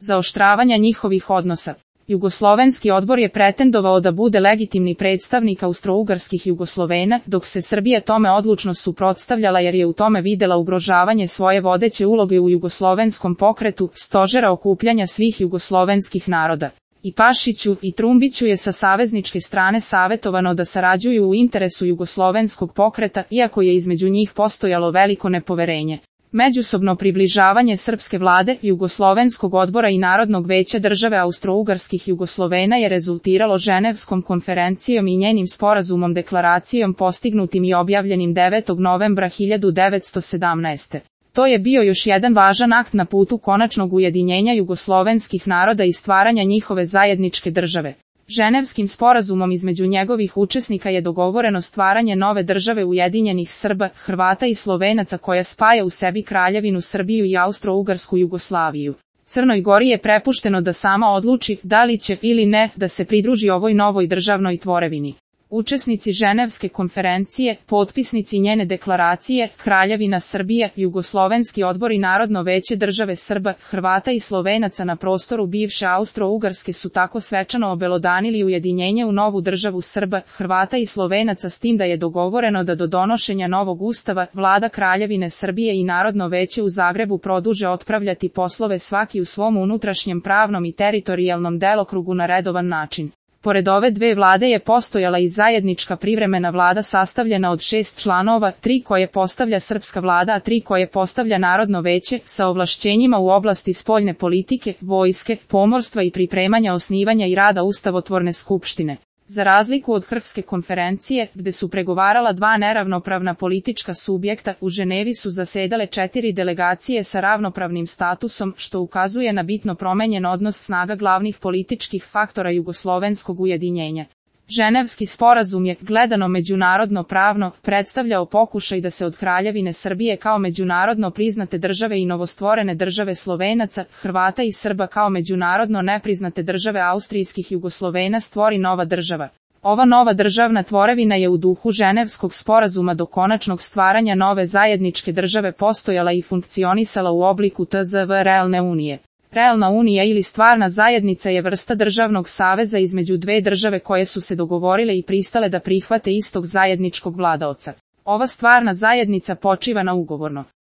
zaoštravanja njihovih odnosa. Jugoslovenski odbor je pretendovao da bude legitimni predstavnik austrougarskih Jugoslovena, dok se Srbija tome odlučno suprotstavljala jer je u tome videla ugrožavanje svoje vodeće uloge u jugoslovenskom pokretu, stožera okupljanja svih jugoslovenskih naroda. I Pašiću i Trumbiću je sa savezničke strane savetovano da sarađuju u interesu jugoslovenskog pokreta, iako je između njih postojalo veliko nepoverenje. Međusobno približavanje srpske vlade, Jugoslovenskog odbora i Narodnog veća države austrougarskih Jugoslovena je rezultiralo Ženevskom konferencijom i njenim sporazumom deklaracijom postignutim i objavljenim 9. novembra 1917. To je bio još jedan važan akt na putu konačnog ujedinjenja jugoslovenskih naroda i stvaranja njihove zajedničke države. Ženevskim sporazumom između njegovih učesnika je dogovoreno stvaranje nove države ujedinjenih Srba, Hrvata i Slovenaca koja spaja u sebi Kraljevinu Srbiju i Austro-Ugarsku Jugoslaviju. Crnoj Gori je prepušteno da sama odluči da li će ili ne da se pridruži ovoj novoj državnoj tvorevini. Učesnici Ženevske konferencije, potpisnici njene deklaracije, Kraljevina Srbija, Jugoslovenski odbor i Narodno veće države Srba, Hrvata i Slovenaca na prostoru bivše Austro-Ugarske su tako svečano obelodanili ujedinjenje u novu državu Srba, Hrvata i Slovenaca s tim da je dogovoreno da do donošenja novog ustava, vlada Kraljevine Srbije i Narodno veće u Zagrebu produže otpravljati poslove svaki u svom unutrašnjem pravnom i teritorijalnom delokrugu na redovan način. Pored ove dve vlade je postojala i zajednička privremena vlada sastavljena od 6 članova, 3 koje postavlja srpska vlada, a 3 koje postavlja Narodno veće, sa ovlašćenjima u oblasti spoljne politike, vojske, pomorstva i pripremanja osnivanja i rada ustavotvorne skupštine. Za razliku od Krfske konferencije, gde su pregovarala dva neravnopravna politička subjekta, u Ženevi su zasedale 4 delegacije sa ravnopravnim statusom, što ukazuje na bitno promenjen odnos snaga glavnih političkih faktora jugoslovenskog ujedinjenja. Ženevski sporazum je, gledano međunarodno pravno, predstavljao pokušaj da se od Kraljevine Srbije kao međunarodno priznate države i novostvorene države Slovenaca, Hrvata i Srba kao međunarodno nepriznate države austrijskih Jugoslovena stvori nova država. Ova nova državna tvorevina je u duhu Ženevskog sporazuma do konačnog stvaranja nove zajedničke države postojala i funkcionisala u obliku tzv. realne unije. Realna unija ili stvarna zajednica je vrsta državnog saveza između dve države koje su se dogovorile i pristale da prihvate istog zajedničkog vladaoca. Ova stvarna zajednica počiva na ugovorno